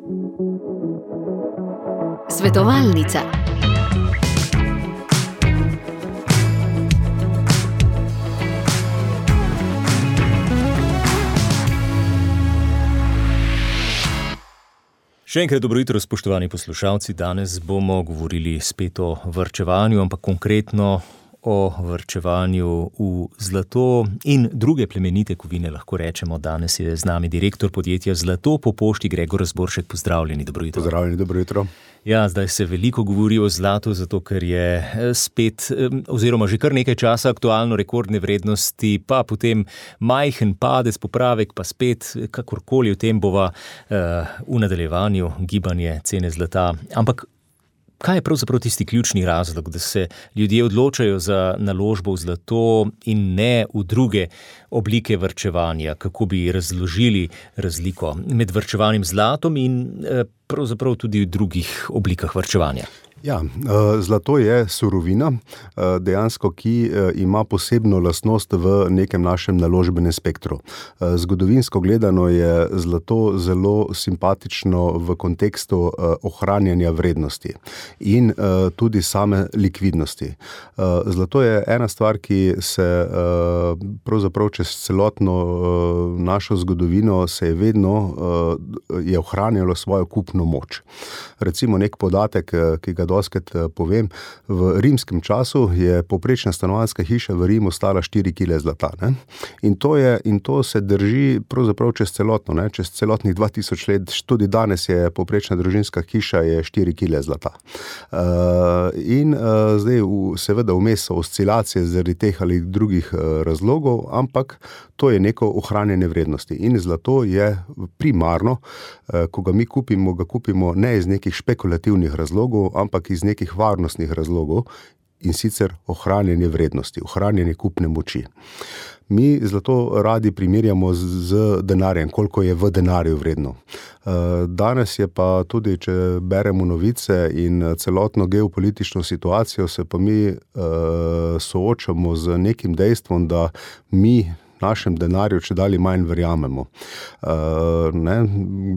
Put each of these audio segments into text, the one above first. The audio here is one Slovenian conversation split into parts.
Svetovalnica. Še enkrat dobro jutro, spoštovani poslušalci. Danes bomo govorili spet o varčevanju, ampak konkretno o varčevanju v zlato in druge plemenite kovine, lahko rečemo. Danes je z nami direktor podjetja Zlato po pošti Gregor Razboršek. Pozdravljeni, dobro jutro. Pozdravljeni, dobro jutro. Ja, zdaj se veliko govori o zlatu, zato ker je spet, oziroma že kar nekaj časa aktualno, rekordne vrednosti, pa potem majhen padec, popravek, pa spet, kakorkoli v tem bova v nadaljevanju gibanje cene zlata. Ampak kaj je pravzaprav tisti ključni razlog, da se ljudje odločajo za naložbo v zlato in ne v druge oblike varčevanja? Kako bi razložili razliko med varčevanjem z zlatom in pravzaprav tudi v drugih oblikah varčevanja? Ja, zlato je surovina, dejansko, ki ima posebno lastnost v nekem našem naložbenem spektru. Zgodovinsko gledano je zlato zelo simpatično v kontekstu ohranjanja vrednosti in tudi same likvidnosti. Zlato je ena stvar, ki se pravzaprav čez celotno našo zgodovino se je vedno je ohranjalo svojo kupno moč. Recimo nek podatek, ki ga doskrat povem, v rimskem času je povprečna stanovanjska hiša v Rimu stala 4 kile zlata. Ne? In to se drži pravzaprav čez celotno, ne? Čez celotnih 2000 let, tudi danes je povprečna družinska hiša je 4 kile zlata. Zdaj seveda vmes so oscilacije zaradi teh ali drugih razlogov, ampak to je neko ohranjanje vrednosti. In zlato je primarno, ko ga mi kupimo, ga kupimo ne iz nekih špekulativnih razlogov, ampak iz nekih varnostnih razlogov, in sicer ohranjanje vrednosti, ohranjanje kupne moči. Mi zlato radi primerjamo z denarjem, koliko je v denarju vredno. Danes je pa tudi, če beremo novice in celotno geopolitično situacijo, se pa mi soočamo z nekim dejstvom, da mi našem denarju čedalje manj verjamemo.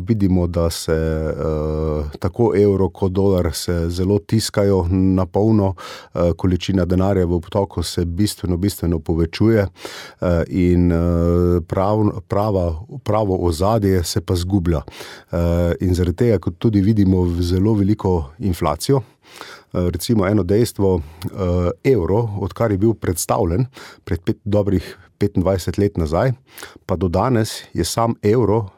Vidimo, da se tako evro kot dolar se zelo tiskajo na polno, količina denarja v obtoku se bistveno povečuje in pravo ozadje se pa zgublja. In zaradi tega, kot tudi vidimo, zelo veliko inflacijo. Recimo eno dejstvo, evro, odkar je bil predstavljen pred dobrih 25 let nazaj, pa do danes je sam evro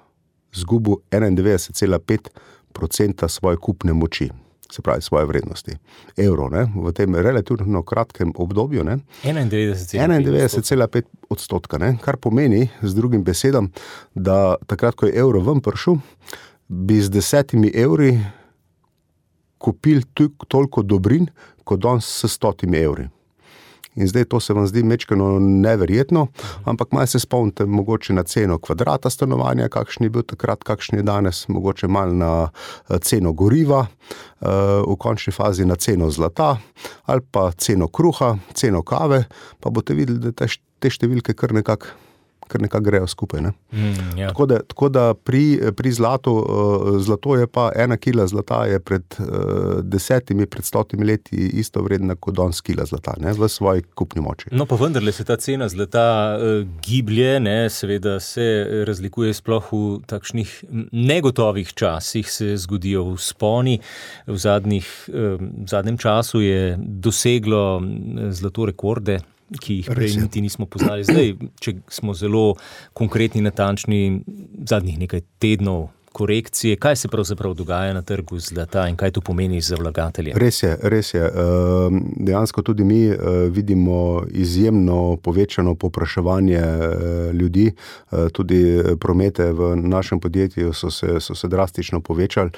zgubil 91,5% svoje kupne moči, se pravi svoje vrednosti. Evro, ne, v tem relativno kratkem obdobju, ne, 91,5%, ne, kar pomeni, z drugim besedam, da takrat, ko je evro ven prišel, bi z 10 evri kupili toliko dobrin, kot danes s 100 evri. In zdaj to se vam zdi mečkeno neverjetno, ampak malo se spomnite mogoče na ceno kvadrata stanovanja, kakšen je bil takrat, kakšen je danes, mogoče malo na ceno goriva, v končni fazi na ceno zlata, ali pa ceno kruha, ceno kave, pa boste videli, da te številke kar nekako grejo skupaj. Ne? Ja. Tako da pri zlatu, zlato je pa 1 kila zlata je pred 100 leti isto vredna kot danes kila zlata, ne, v svoji kupni moči. No, pa vendarle se ta cena zlata giblje, ne, seveda se razlikuje sploh v takšnih negotovih časih, se zgodijo vzponi. V zadnjem času je doseglo zlato rekorde, ki jih prej niti nismo poznali. Zdaj, če smo zelo konkretni, natančni, zadnjih nekaj tednov korekcije, kaj se pravzaprav dogaja na trgu zlata in kaj to pomeni za vlagatelje? Res je. Dejansko tudi mi vidimo izjemno povečano povpraševanje ljudi, tudi promete v našem podjetju so se drastično povečali,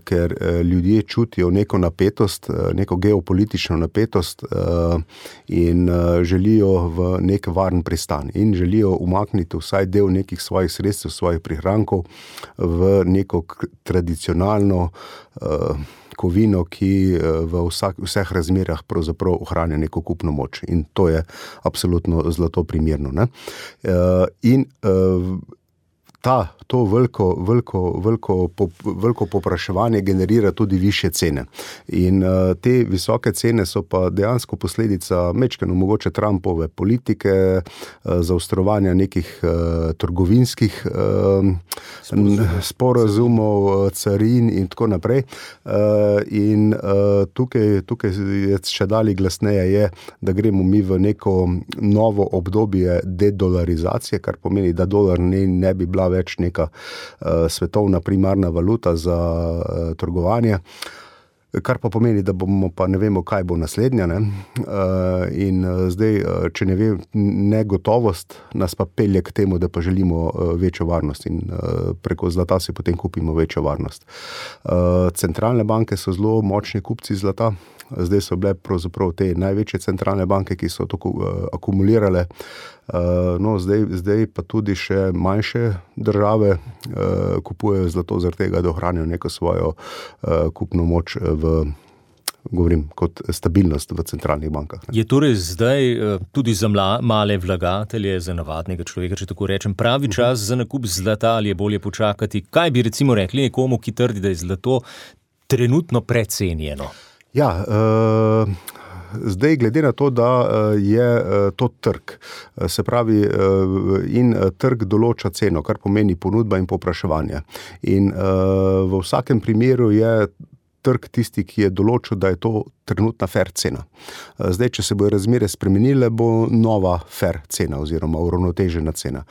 ker ljudje čutijo neko napetost, neko geopolitično napetost in želijo v nek varen pristan in želijo umakniti vsaj del nekih svojih sredstev, svojih prihrankov v neko tradicionalno kovino, ki v vseh razmerah pravzaprav ohranja neko kupno moč. In to je absolutno zlato primerno. Ne? In to veliko povpraševanje generira tudi višje cene. In te visoke cene so pa dejansko posledica majčkeno mogoče Trumpove politike, zaostrovanja nekih trgovinskih sporazumov, carin in tako naprej. In tukaj je še dalje glasneje je, da gremo mi v neko novo obdobje dedolarizacije, kar pomeni, da dolar ne bi bila več neka svetovna primarna valuta za trgovanje, kar pa pomeni, da bomo pa ne vemo, kaj bo naslednja. Ne? In zdaj, če ne vem, negotovost nas pa pelje k temu, da pa želimo večjo varnost in preko zlata si potem kupimo večjo varnost. Centralne banke so zelo močni kupci zlata. Zdaj so bile pravzaprav te največje centralne banke, ki so to akumulirale. No, zdaj pa tudi še manjše države kupujejo zlato zaradi tega, da ohranijo neko svojo kupno moč govorim, kot stabilnost v centralnih bankah. Je torej zdaj tudi za male vlagatelje, za navadnega človeka, če tako rečem, pravi čas za nakup zlata ali je bolje počakati? Kaj bi recimo rekli nekomu, ki trdi, da je zlato trenutno precenjeno? Ja, zdaj glede na to, da je to trg, se pravi in trg določa ceno, kar pomeni ponudba in povpraševanje. In v vsakem primeru je trg tisti, ki je določil, da je to trenutna fair cena. Zdaj, če se bojo razmere spremenile, bo nova fair cena oziroma uravnotežena cena.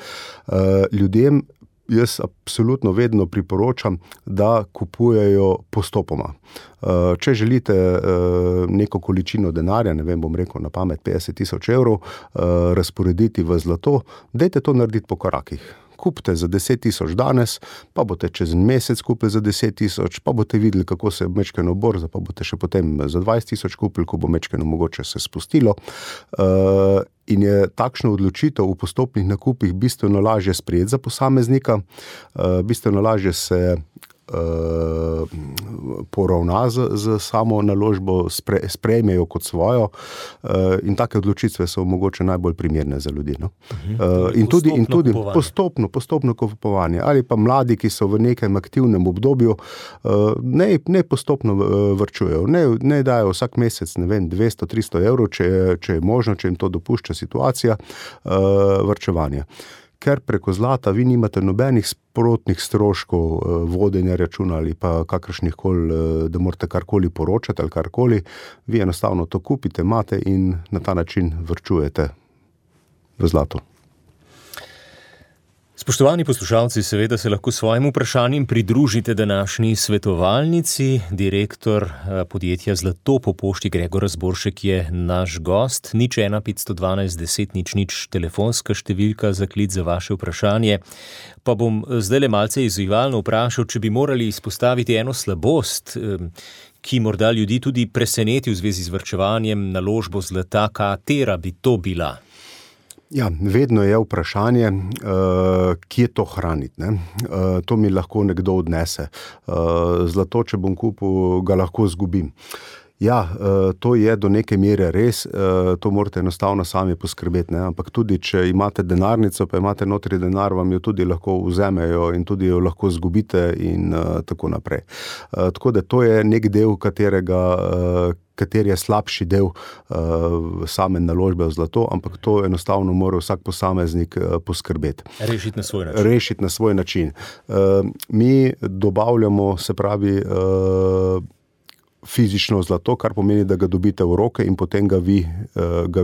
Ljudem jaz absolutno vedno priporočam, da kupujejo postopoma. Če želite neko količino denarja, ne vem, bom rekel na pamet 50,000 evrov, razporediti v zlato, dajte to narediti po korakih. Kupite za 10,000 danes, pa boste čez en mesec kupili za 10,000, pa boste videli, kako se mečkeno borza, pa boste še potem za 20,000 kupili, ko bo mečkeno mogoče se spustilo. In je takšna odločitev v postopnih nakupih bistveno lažje sprejeti za posameznika, bistveno lažje se poravna z samo naložbo, sprejmejo kot svojo in take odločitve so mogoče najbolj primerne za ljudi. No? In tudi postopno kupovanje. Ali pa mladi, ki so v nekem aktivnem obdobju, ne postopno varčujejo, ne dajo vsak mesec, ne vem, 200-300 evrov, če je možno, če jim to dopušča situacija, varčevanja. Ker preko zlata vi nimate nobenih sprotnih stroškov vodenja računa ali pa kakršnihkoli, da morate karkoli poročati ali karkoli, vi enostavno to kupite, imate in na ta način varčujete v zlatu. Spoštovani poslušalci, seveda se lahko svojim vprašanjem pridružite današnji svetovalnici. Direktor podjetja Zlato po pošti Gregor Razboršek je naš gost. 01512 10 00 telefonska številka za klic za vaše vprašanje. Pa bom zdaj le malce izzivalno vprašal, če bi morali izpostaviti eno slabost, ki morda ljudi tudi preseneti v zvezi z varčevanjem, naložbo zlata, katera bi to bila? Ja, vedno je vprašanje, kje to hraniti. Ne? To mi lahko nekdo odnese. Zlato, če bom kupil, ga lahko zgubim. Ja, to je do neke mere res, to morate enostavno sami poskrbeti, ne? Ampak tudi, če imate denarnico, pa imate notri denar, vam jo tudi lahko vzamejo in tudi jo lahko zgubite in tako naprej. Tako da to je nek del, kateri je slabši del same naložbe v zlato, ampak to enostavno mora vsak posameznik poskrbeti. Rešiti na svoj način. Mi dobavljamo, se pravi, fizično zlato, kar pomeni, da ga dobite v roke in potem ga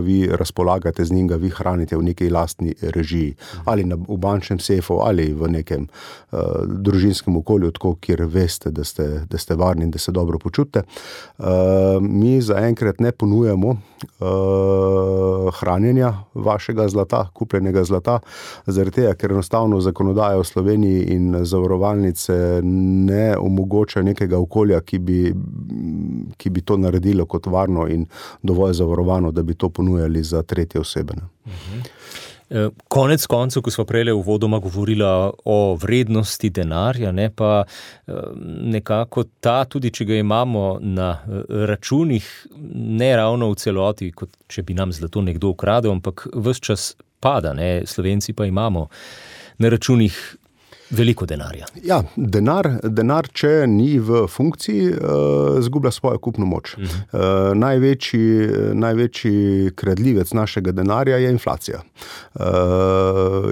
vi razpolagate z njim, ga vi hranite v neki lastni režiji. Ali v bančnem sefu, ali v nekem družinskem okolju, tako, kjer veste, da ste varni in da se dobro počutite. Mi zaenkrat ne ponujamo hranjenja vašega zlata, kupljenega zlata, zaradi tega, ker enostavno zakonodaja v Sloveniji in zavarovalnice ne omogoča nekega okolja, ki bi to naredilo kot varno in dovolj zavarovano, da bi to ponujali za tretje osebe. Konec koncev, ko smo prej uvodoma govorila o vrednosti denarja, ne, pa nekako ta, tudi če ga imamo na računih, ne ravno v celoti, kot če bi nam zlato nekdo ukradel, ampak ves čas pada, ne, Slovenci pa imamo na računih Veliko denarja. Ja, denar, če ni v funkciji, izgublja svojo kupno moč. Največji kradljivec našega denarja je inflacija.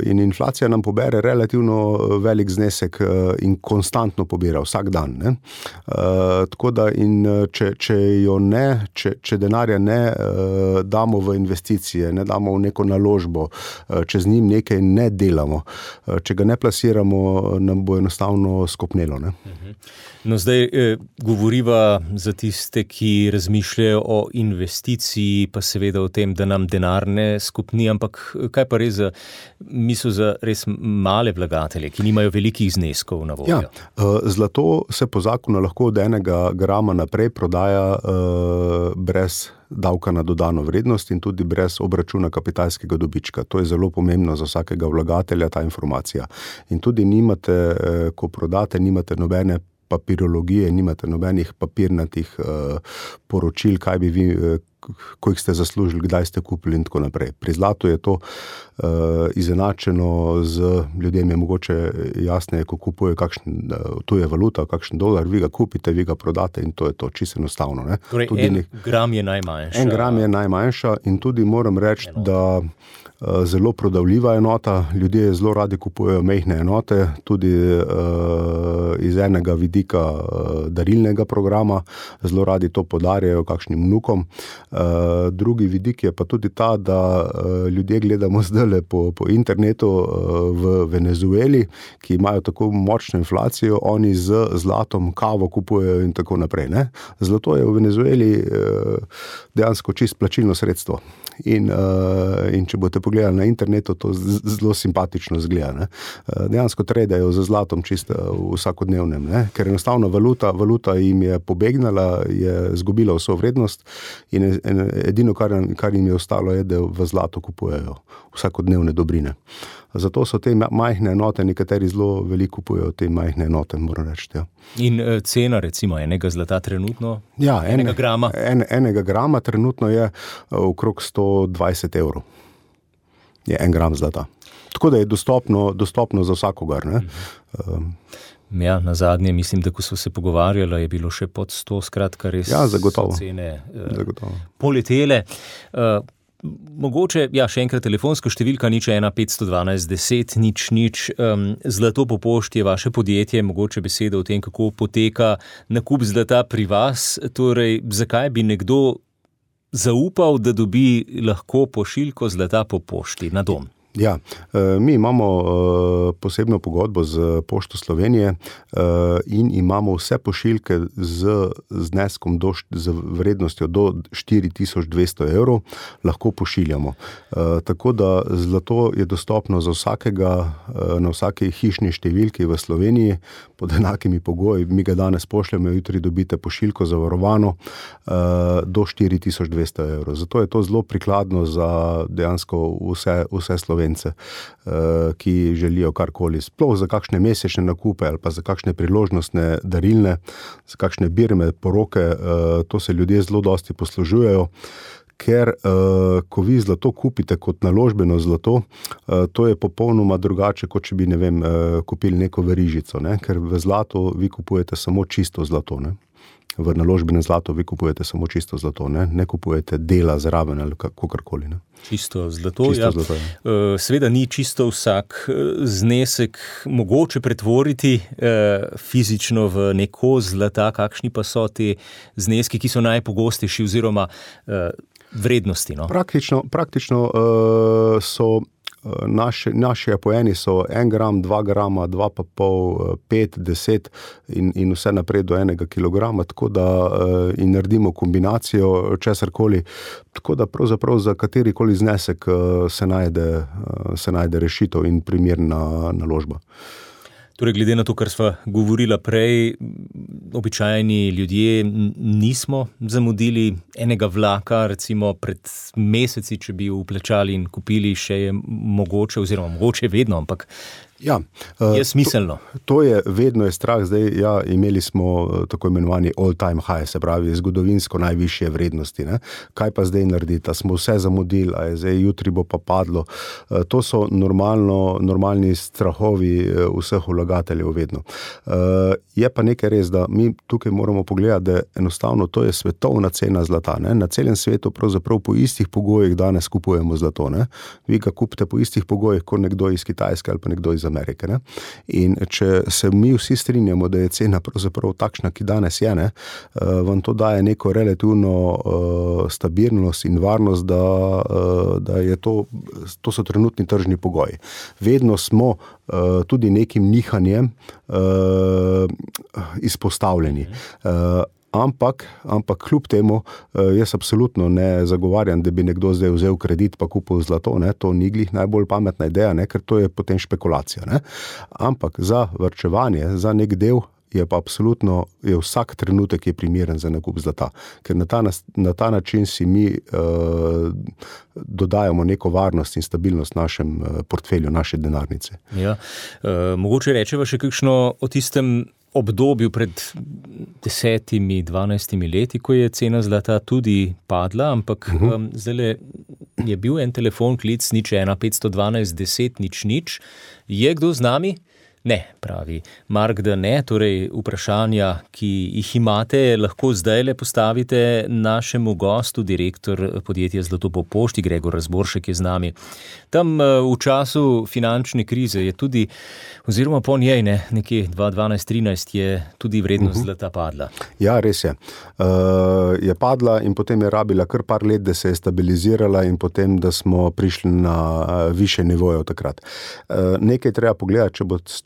In inflacija nam pobere relativno velik znesek in konstantno pobira vsak dan. Ne? Tako da če denarja ne damo v investicije, ne damo v neko naložbo, če z njim nekaj ne delamo, če ga ne plasiramo, nam bo enostavno skopnelo. Ne? No, zdaj govoriva za tiste, ki razmišljajo o investiciji, pa seveda o tem, da nam denar ne skopni, ampak kaj pa res za res male vlagatelje, ki nimajo velikih zneskov na voljo? Ja, zlato se po zakonu lahko od 1 grama naprej prodaja brez davka na dodano vrednost in tudi brez obračuna kapitalskega dobička. To je zelo pomembno za vsakega vlagatelja, ta informacija. In tudi nimate, ko prodate, nimate nobene papirologije, nimate nobenih papirnatih poročil, kaj bi vi, koliko ste zaslužili, kdaj ste kupili in tako naprej. Pri zlatu je to izenačeno z ljudem, je mogoče jasneje, ko kupujejo tuje valuta, kakšen dolar, vi ga kupite, vi ga prodate in to je to, čisto enostavno. Ne? Torej, gram je najmanjša. 1 gram je najmanjša in tudi moram reči, da zelo prodavljiva enota, ljudje zelo radi kupujejo majhne enote, tudi iz enega vidika darilnega programa, zelo radi to podarjajo kakšnim vnukom. Drugi vidik je pa tudi ta, da ljudje gledamo zdajle po internetu v Venezueli, ki imajo tako močno inflacijo, oni z zlatom kavo kupujejo in tako naprej. Ne? Zlato je v Venezueli dejansko čisto plačilno sredstvo. In če boste pogledali na internetu, to zelo simpatično izgleda. Ne? Dejansko tradejo za zlatom čisto vsakodnevnem, ne? Ker enostavno valuta jim je pobegnala, je izgubila vso vrednost in edino, kar jim je ostalo, je, da v zlato kupujejo vsakodnevne dobrine. Zato so te majhne enote, nekateri zelo veliko kupujejo te majhne enote, moram reči. Ja. In cena recimo enega zlata trenutno? Ja, enega grama? Enega grama trenutno je okrog 120 €. Je 1 gram zlata. Tako da je dostopno za vsakogar. Ne? Ja, na zadnje, mislim, da ko so se pogovarjali, je bilo še pod 100, skratka res so cene poletele. Mogoče, ja, še enkrat telefonska številka 01 512 10 00. Zlato po pošti je vaše podjetje, mogoče besede o tem, kako poteka nakup zlata pri vas. Torej, zakaj bi nekdo zaupal, da dobi lahko pošiljko zlata po pošti na dom? Ja, mi imamo posebno pogodbo z Pošto Slovenije in imamo vse pošiljke z zneskom z vrednostjo do 4200 €, lahko pošiljamo. Tako da zlato je dostopno za vsakega na vsaki hišni številki v Sloveniji pod enakimi pogoji. Mi ga danes pošljemo, jutri dobite pošiljko zavarovano do 4200 €. Zato je to zelo prikladno za dejansko vse Slovence, ki želijo karkoli, sploh za kakšne mesečne nakupe ali pa za kakšne priložnostne darilne, za kakšne birme, poroke, to se ljudje zelo dosti poslužujejo, ker ko vi zlato kupite kot naložbeno zlato, to je popolnoma drugače, kot če bi, ne vem, kupili neko verižico, ne? Ker v zlato vi kupujete samo čisto zlato, ne? V naložbenem zlatu vi kupujete samo čisto zlato, ne kupujete dela zraven ali kakorkoli. Ne? Čisto zlato, ja. Seveda ni čisto vsak znesek mogoče pretvoriti fizično v neko zlata, kakšni pa so te zneski, ki so najpogostejši oziroma vrednosti. No? Praktično so naši apojeni so 1 gram, 2 grama, 2,5, 5, 10 in vse naprej do 1 kilograma, tako da in naredimo kombinacijo česarkoli, tako da pravzaprav za katerikoli znesek se najde rešitev in primerna naložba. Torej, glede na to, kar sva govorila prej, običajni ljudje nismo zamudili enega vlaka, recimo pred meseci, če bi vplačali in kupili, še je mogoče, oziroma mogoče vedno, ampak Ja, je smiselno. To je vedno je strah. Zdaj, imeli smo tako imenovani all-time high, se pravi zgodovinsko najvišje vrednosti. Ne? Kaj pa zdaj narediti? Smo vse zamudili, zdaj jutri bo pa padlo. To so normalni strahovi vseh vlagateljev vedno. Je pa nekaj res, da mi tukaj moramo pogledati, da enostavno to je svetovna cena zlata. Ne? Na celem svetu pravzaprav po istih pogojih danes kupujemo zlato. Ne? Vi ga kupite po istih pogojih, kot nekdo iz Kitajske ali pa nekdo iz Amerike. Ne? In če se mi vsi strinjamo, da je cena pravzaprav takšna, ki danes je, ne? Vam to daje neko relativno stabilnost in varnost, da je to so trenutni tržni pogoji. Vedno smo tudi nekim nihanjem izpostavljeni. Ampak kljub temu jaz absolutno ne zagovarjam, da bi nekdo zdaj vzel kredit pa kupil zlato, ne? To ni glih najbolj pametna ideja, ne? Ker to je potem špekulacija. Ne? Ampak za varčevanje, za nek del je pa absolutno vsak trenutek je primeren za nakup zlata, ker na ta način si mi dodajamo neko varnost in stabilnost našem portfelju, naše denarnice. Ja, mogoče rečeva še kakšno o tistem obdobju pred 10-12 leti, ko je cena zlata tudi padla, ampak zdajle je bil en telefon klic 01 512 10 00. Je kdo z nami? Ne, pravi Mark, da ne, torej vprašanja, ki jih imate, lahko zdajle postavite našemu gostu, direktor podjetja Zlato po pošti, Gregor Razboršek je z nami. Tam v času finančne krize je tudi, oziroma po njej, nekje 2012-13 je tudi vrednost zlata padla. Ja, res je. Je padla in potem je rabila kar par let, da se je stabilizirala in potem, da smo prišli na više nivoje od takrat. Nekaj treba pogledati,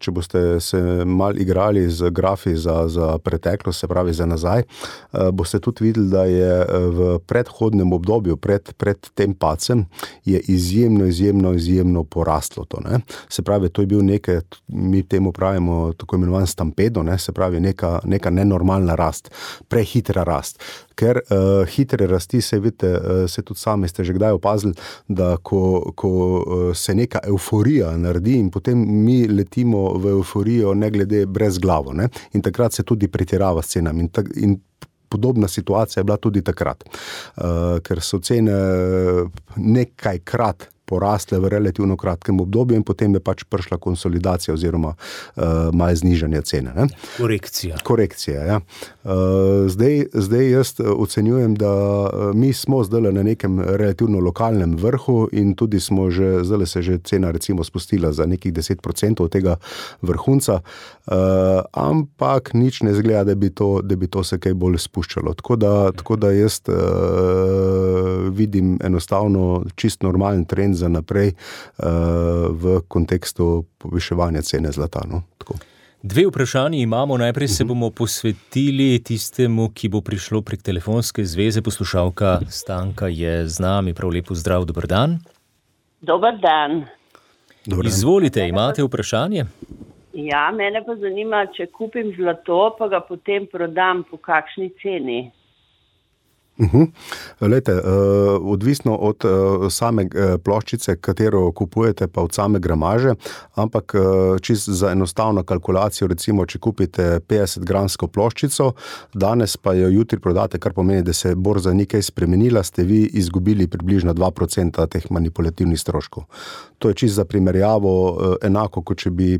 če boste se mal igrali z grafi za preteklost, se pravi za nazaj, boste tudi videli, da je v predhodnem obdobju, pred tem padcem, je izjemno porastlo to. Ne? Se pravi, to je bil nekaj, mi temu pravimo tako imenovan stampedo, ne? Se pravi neka nenormalna rast, prehitra rast. Ker hitre rasti, se vidite, se tudi sami ste že kdaj opazili, da ko se neka euforija naredi in potem mi letimo v euforijo ne glede brez glavo. Ne? In takrat se tudi pretirava s cenami. In podobna situacija je bila tudi takrat. Ker so cene nekajkrat porasle v relativno kratkem obdobju in potem je pač prišla konsolidacija oziroma malo znižanje cene. Ne? Korekcija, ja. Zdaj jaz ocenjujem, da mi smo zdaj na nekem relativno lokalnem vrhu in tudi zdaj se že cena recimo spustila za nekih 10% od tega vrhunca, ampak nič ne zgleda, da bi to se kaj bolj spuščalo. Tako da jaz vidim enostavno čist normalen trend za naprej v kontekstu poviševanja cene zlata. No? Dve vprašanji imamo. Najprej se bomo posvetili tistemu, ki bo prišlo prek telefonske zveze. Poslušalka Stanka je z nami. Prav lepo zdrav, dober dan. Dober dan. Izvolite, imate vprašanje? Ja, mene pa zanima, če kupim zlato, pa ga potem prodam po kakšni ceni. Lejte, odvisno od same ploščice, katero kupujete, pa od same gramaže, ampak čisto za enostavno kalkulacijo, recimo, če kupite 50-gramsko ploščico, danes pa jo jutri prodate, kar pomeni, da se borza ni kaj spremenila, ste vi izgubili približno 2% teh manipulativnih stroškov. To je čisto za primerjavo enako, kot če bi,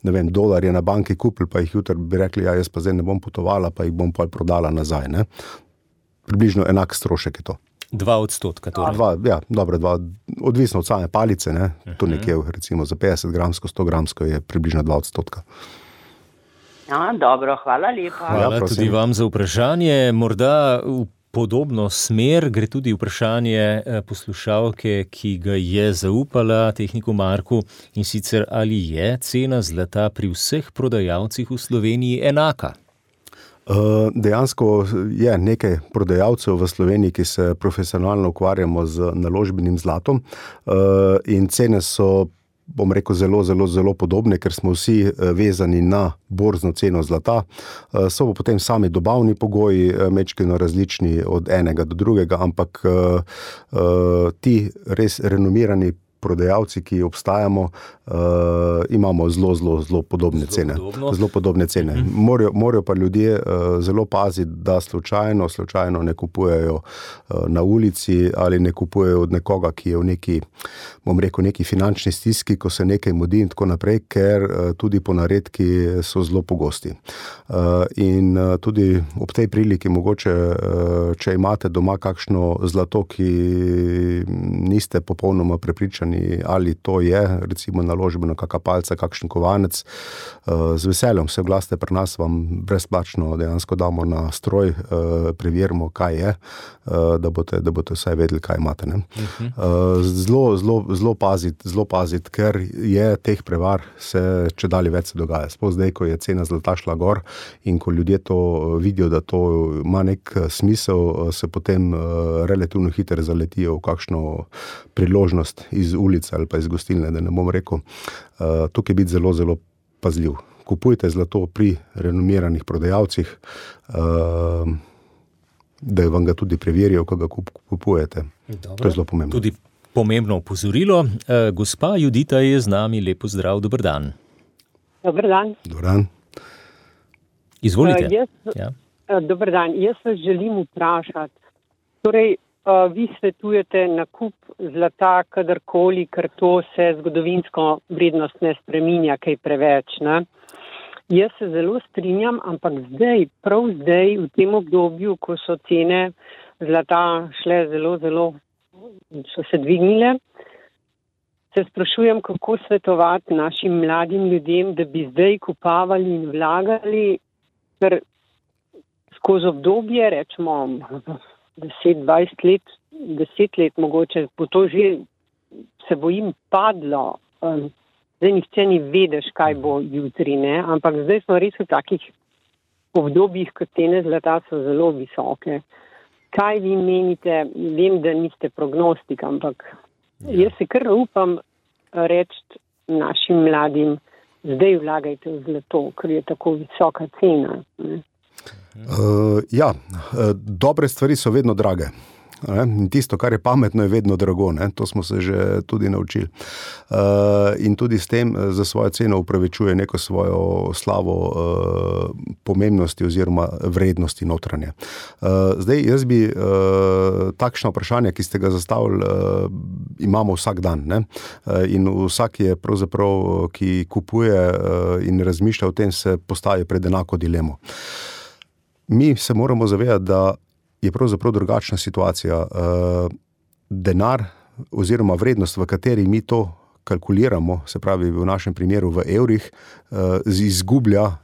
ne vem, dolarje na banki kupili, pa jih jutri bi rekli, jaz pa zdaj ne bom potovala, pa jih bom pa prodala nazaj, ne? Približno enak strošek je to. 2%. Torej. Odvisno od same palice, ne? To nekje, recimo za 50-gramsko, 100-gramsko je približno 2%. Dobro, hvala lepa. Hvala tudi vam za vprašanje. Morda v podobno smer gre tudi vprašanje poslušalke, ki ga je zaupala tehniku Marku, in sicer ali je cena zlata pri vseh prodajalcih v Sloveniji enaka? Dejansko je nekaj prodajalcev v Sloveniji, ki se profesionalno ukvarjamo z naložbenim zlatom, in cene so, bom rekel, zelo podobne, ker smo vsi vezani na borzno ceno zlata. So pa potem sami dobavni pogoji majčkeno različni od enega do drugega, ampak ti res renomirani prodajalci, ki obstajamo, imamo zelo podobne cene. Zelo podobne cene. Morajo pa ljudje zelo paziti, da slučajno ne kupujejo na ulici ali ne kupujejo od nekoga, ki je v neki finančni stiski, ko se nekaj mudi in tako naprej, ker tudi ponaredki so zelo pogosti. In tudi ob tej priliki mogoče, če imate doma kakšno zlato, ki niste popolnoma prepričani, ali to je, recimo naložbeno kakšna palca, kakšen kovanec, z veseljem se oglasite pri nas, vam brezplačno dejansko damo na stroj, preverimo, kaj je, da boste vsaj vedeli, kaj imate. Ne? Zelo paziti, ker je teh prevar se čedalje več se dogaja. Sploh zdaj, ko je cena zlata šla gor in ko ljudje to vidijo, da to ima nek smisel, se potem relativno hitro zaletijo v kakšno priložnost iz ulice ali pa iz gostilne, da ne bom rekel. Tukaj biti zelo pazljiv. Kupujte zlato pri renomiranih prodajalcih, da vam ga tudi preverijo, ko ga kupujete. Dobro. To je zelo pomembno. Tudi pomembno opozorilo. Gospa Judita je z nami. Lepo zdrav, dober dan. Dober dan. Dober dan. Izvolite. Dober dan. Jaz vas želim vprašati. Torej, vi svetujete nakup zlata kadarkoli, ker to se zgodovinsko vrednost ne spreminja kaj preveč, ne? Jaz se zelo strinjam, ampak prav zdaj, v tem obdobju, ko so cene zlata šle zelo, so se dvignile, se sprašujem, kako svetovati našim mladim ljudem, da bi zdaj kupavali in vlagali, ker skozi obdobje, rečemo 10-20 let, 10 let mogoče, bo to že, se bojim, padlo. Zdaj nihče ni vedeš, kaj bo jutri, ne? Ampak zdaj smo res v takih obdobjih, ko cene zlata so zelo visoke. Kaj vi menite? Vem, da niste prognostik, ampak jaz se kar upam reči našim mladim, zdaj vlagajte v zlato, ker je tako visoka cena. Ne? Dobre stvari so vedno drage. In tisto, kar je pametno, je vedno drago. Ne? To smo se že tudi naučili. In tudi s tem za svojo ceno upravičuje neko svojo slavo pomembnosti oziroma vrednosti notranje. Zdaj, jaz bi takšno vprašanje, ki ste ga zastavili, imamo vsak dan. Ne? In vsak je pravzaprav, ki kupuje in razmišlja o tem, se postavi pred enako dilemo. Mi se moramo zavedati, da je pravzaprav drugačna situacija. Denar oziroma vrednost, v kateri mi to kalkuliramo, se pravi v našem primeru v evrih,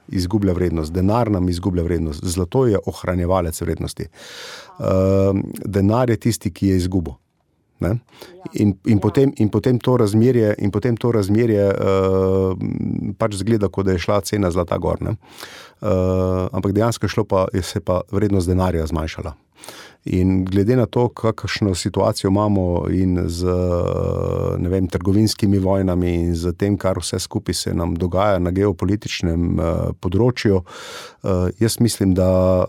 izgublja vrednost. Denar nam izgublja vrednost. Zlato je ohranjevalec vrednosti. Denar je tisti, ki je izgubo. Ne? In potem to razmerje pač zgleda, kot da je šla cena zlata gor. Ne? Ampak dejansko se pa vrednost denarja zmanjšala. In glede na to, kakšno situacijo imamo in z trgovinskimi vojnami in z tem, kar vse skupaj se nam dogaja na geopolitičnem področju, jaz mislim, da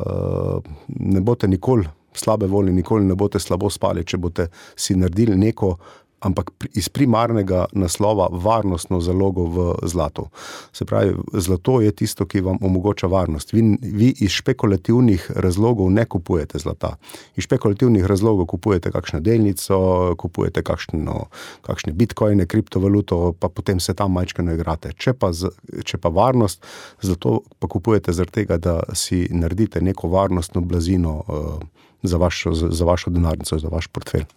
ne boste nikoli slabe volje, nikoli ne boste slabo spali, če boste si naredili neko, ampak iz primarnega naslova varnostno zalogo v zlatu. Se pravi, zlato je tisto, ki vam omogoča varnost. Vi iz špekulativnih razlogov ne kupujete zlata. Iz špekulativnih razlogov kupujete kakšno delnico, kupujete kakšne bitcoine, kriptovaluto, pa potem se tam majčkeno igrate. Če pa varnost, zlato pa kupujete zaradi tega, da si naredite neko varnostno blazino za vašo denarnico, za vaš portfelj.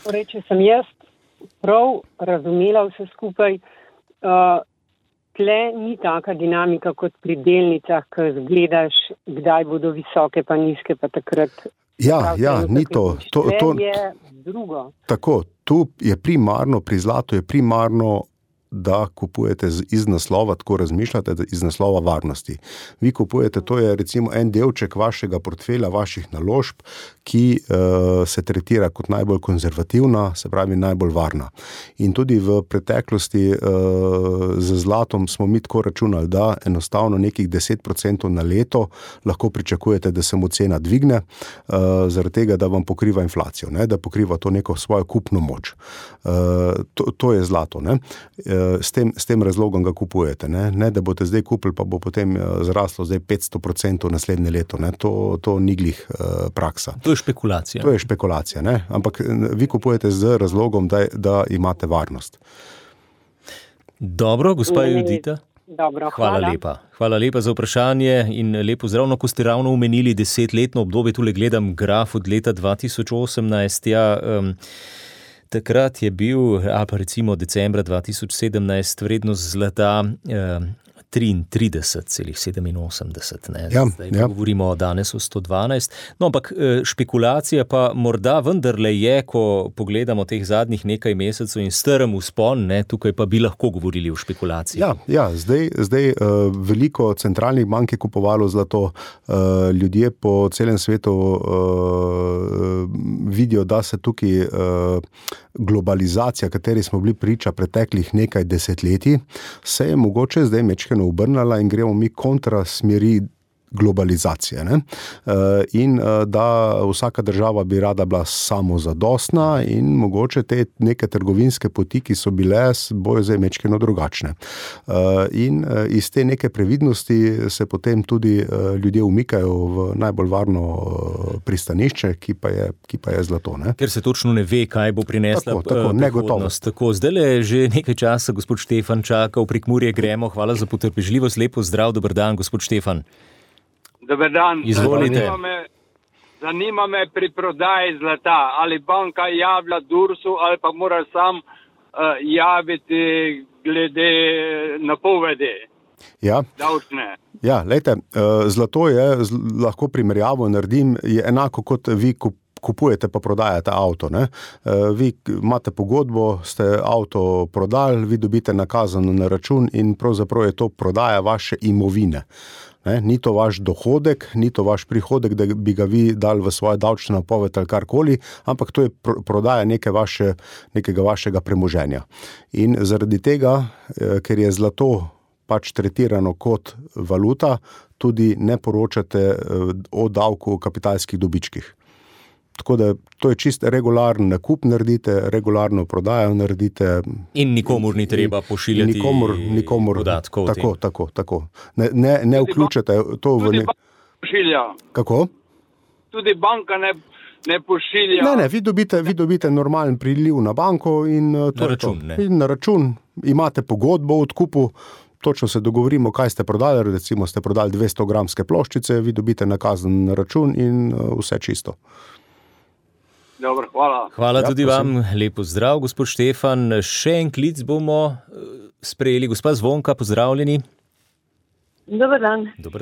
Torej, če sem jaz prav razumela vse skupaj, tle ni taka dinamika kot pri delnicah, ko zgledaš, kdaj bodo visoke pa nizke, pa takrat. Ni to. To je drugo. Tako, tu je primarno, pri zlatu je primarno da kupujete iz naslova, tako razmišljate, iz naslova varnosti. Vi kupujete, to je recimo en delček vašega portfelja, vaših naložb, ki se tretira kot najbolj konzervativna, se pravi najbolj varna. In tudi v preteklosti z zlatom smo mi tako računali, da enostavno nekih 10% na leto lahko pričakujete, da se mu cena dvigne, zaradi tega, da vam pokriva inflacijo, ne? Da pokriva to neko svojo kupno moč. To je zlato, ne? S tem razlogom ga kupujete, ne da boste zdaj kupili, pa bo potem zraslo zdaj 500% naslednje leto, ne? To ni glih praksa. To je špekulacija. To je špekulacija, ne? Ampak vi kupujete z razlogom, da imate varnost. Dobro, gospa Judita. Dobro, hvala lepa. Hvala lepa za vprašanje in lepo zdrav, ko ste ravno omenili 10-letno obdobje, tule gledam graf od leta 2018, takrat je bil, ali pa recimo decembra 2017, vrednost zlata 33,87. Zdaj govorimo danes o 112. No, ampak špekulacija pa morda vendarle je, ko pogledamo teh zadnjih nekaj mesecev in strm vzpon, tukaj pa bi lahko govorili o špekulaciji. Zdaj veliko centralnih bank je kupovalo zlato, ljudje po celem svetu vidijo, da se tukaj globalizacija, kateri smo bili priča preteklih nekaj desetletij, se je mogoče zdaj mečkeno obrnala in gremo mi kontra smeri globalizacije, ne? In da vsaka država bi rada bila samozadostna in mogoče te neke trgovinske poti, ki so bile, bojo zdaj mečkeno drugačne. In iz te neke previdnosti se potem tudi ljudje umikajo v najbolj varno pristanišče, ki pa je zlato, ne? Ker se točno ne ve, kaj bo prinesla prihodnost. Tako, zdajle že nekaj časa gospod Štefan čaka, v Prekmurje gremo. Hvala za potrpežljivost, lepo zdrav, dober dan, gospod Štefan. Dober dan. Izvolite. Zanima me pri prodaji zlata, ali banka javlja Dursu ali pa mora sam javiti glede napovedi. Davčne. Lejte, zlato je, lahko primerjavo naredim, je enako kot vi kupujete pa prodajate avto, ne? Vi imate pogodbo, ste avto prodali, vi dobite nakazano na račun in pravzaprav je to prodaja vaše imovine. Ni to vaš dohodek, ni to vaš prihodek, da bi ga vi dali v svoje davčne napoved ali karkoli, ampak to je prodaja nekega vašega premoženja. In zaradi tega, ker je zlato pač tretirano kot valuta, tudi ne poročate o davku o kapitalskih dobičkih. Tako da to je čist regularen nakup naredite, regularno prodajo naredite. In nikomur ni treba pošiljati nikomur podatkov. Tako. Ne vključite to v Tudi banka pošilja. Kako? Tudi banka ne pošilja. Ne, vi dobite normalen priliv na banko in na račun. In na račun imate pogodbo o odkupu. Točno se dogovorimo, kaj ste prodali, recimo ste prodali 200 gramske ploščice, vi dobite nakazan na račun in vse čisto. Dobro, hvala. Hvala tudi vam, lepo zdrav, gospod Štefan. Še en klic bomo sprejeli. Gospa Zvonka, pozdravljeni. Dober dan. Dober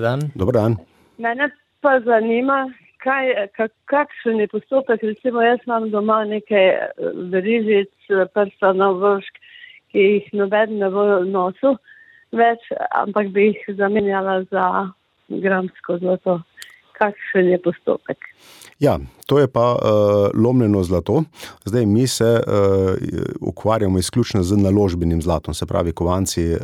dan. Mene pa zanima, kakšen je postopek, recimo jaz imam doma nekaj verižic, prstanov, vršk, ki jih noben ne bo nosil več, ampak bi jih zamenjala za gramsko zlato. Kakšen je postopek? To je pa lomljeno zlato. Zdaj mi se ukvarjamo izključno z naložbenim zlatom, se pravi kovanci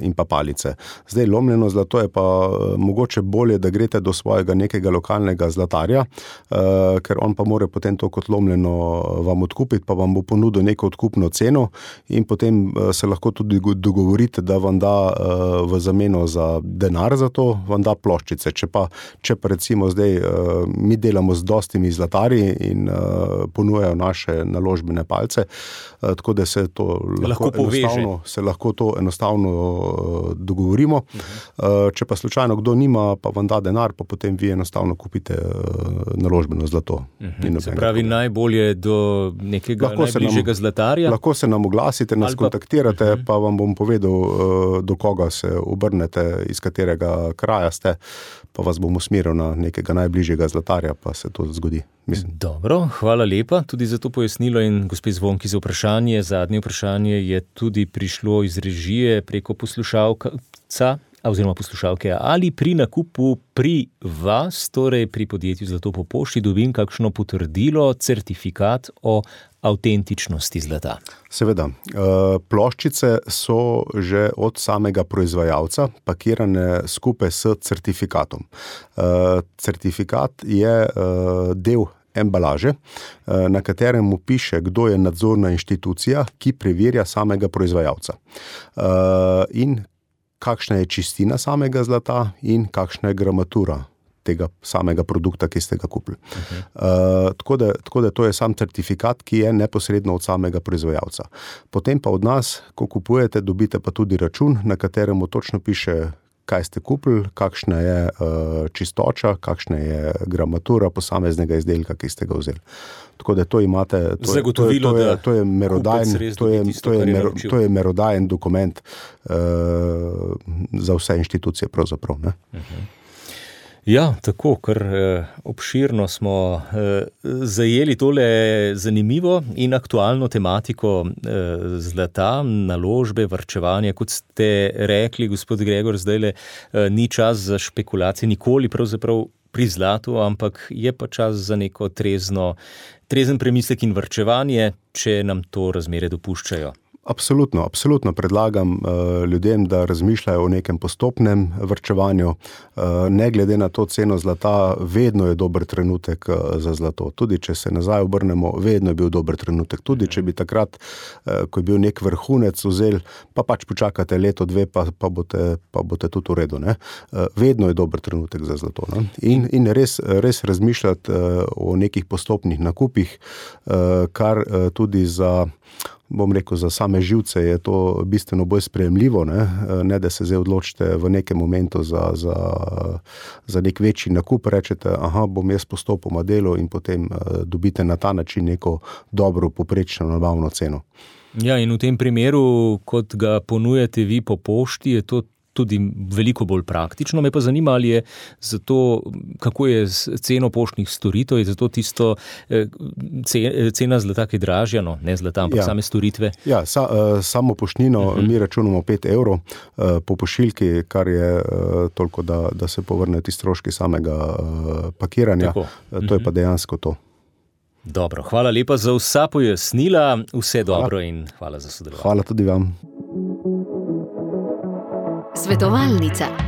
in pa palice. Zdaj lomljeno zlato je pa mogoče bolje, da greste do svojega nekega lokalnega zlatarja, ker on pa more potem to kot lomljeno vam odkupiti, pa vam bo ponudil neko odkupno ceno in potem se lahko tudi dogovorite, da vam da v zameno za denar za to, vam da ploščice. Če pa recimo zdaj mi delamo z dostimi zlatarji in ponujajo naše naložbene palce, tako da se to lahko to enostavno dogovorimo. Če pa slučajno kdo nima, pa vam da denar, pa potem vi enostavno kupite naložbeno zlato. Se pravi, najbolje do nekega najbližjega zlatarja? Lahko se nam oglasite, nas kontaktirate, pa vam bom povedal, do koga se obrnete, iz katerega kraja ste, pa vas bom usmeril na nekega najbližjega zlatarja, pa se to zgodi. Mislim. Dobro, hvala lepa tudi za to pojasnilo in gospe Zvonki za vprašanje. Zadnje vprašanje je tudi prišlo iz režije preko poslušalca oziroma poslušalke. Ali pri nakupu pri vas, torej pri podjetju Zlato po pošti, dobim kakšno potrdilo, certifikat o avtentičnosti zlata? Seveda. Ploščice so že od samega proizvajalca pakirane skupaj s certifikatom. Certifikat je del embalaže, na katerem piše, kdo je nadzorna inštitucija, ki preverja samega proizvajalca. In kakšna je čistina samega zlata in kakšna je gramatura tega samega produkta, ki ste ga kupili. Tako da to je sam certifikat, ki je neposredno od samega proizvajalca. Potem pa od nas, ko kupujete, dobite pa tudi račun, na katerem točno piše, kaj ste kupili, kakšna je čistoča, kakšna je gramatura posameznega izdelka, ki ste ga vzeli. Tako da to imate, to je merodajen dokument za vse inštitucije pravzaprav, ne? Ja, tako, ker obširno smo zajeli tole zanimivo in aktualno tematiko zlata, naložbe, varčevanja. Kot ste rekli, gospod Gregor, zdajle ni čas za špekulacije, nikoli pravzaprav pri zlatu, ampak je pa čas za neko trezen premislek in varčevanje, če nam to razmere dopuščajo. Absolutno predlagam ljudem, da razmišljajo o nekem postopnem varčevanju. Ne glede na to ceno zlata, vedno je dober trenutek za zlato. Tudi če se nazaj obrnemo, vedno je bil dober trenutek. Tudi če bi takrat, ko je bil nek vrhunec vzel, pa pač počakate leto, dve, pa boste tudi v redu, ne? Vedno je dober trenutek za zlato, ne? In res razmišljati o nekih postopnih nakupih, kar tudi za same živce je to bistveno bolj sprejemljivo, ne da se zdaj odločite v nekem momentu za nek večji nakup, rečete, bom jaz postopoma delal in potem dobite na ta način neko dobro, poprečno nabavno ceno. Ja, in v tem primeru, kot ga ponujate vi po pošti, je to tudi veliko bolj praktično. Me pa zanima, ali je zato, kako je z ceno poštnih storitev, je zato tisto cena zlata, ki je dražja, no, ne zlata, ampak same storitve? Ja, samo poštnino mi računamo 5 evrov po pošiljki, kar je toliko, da se povrne ti stroški samega pakiranja. Tako. To je pa dejansko to. Dobro, hvala lepa za vsa pojasnila, vse dobro in hvala za sodelovanje. Hvala tudi vam. Svetovalnica.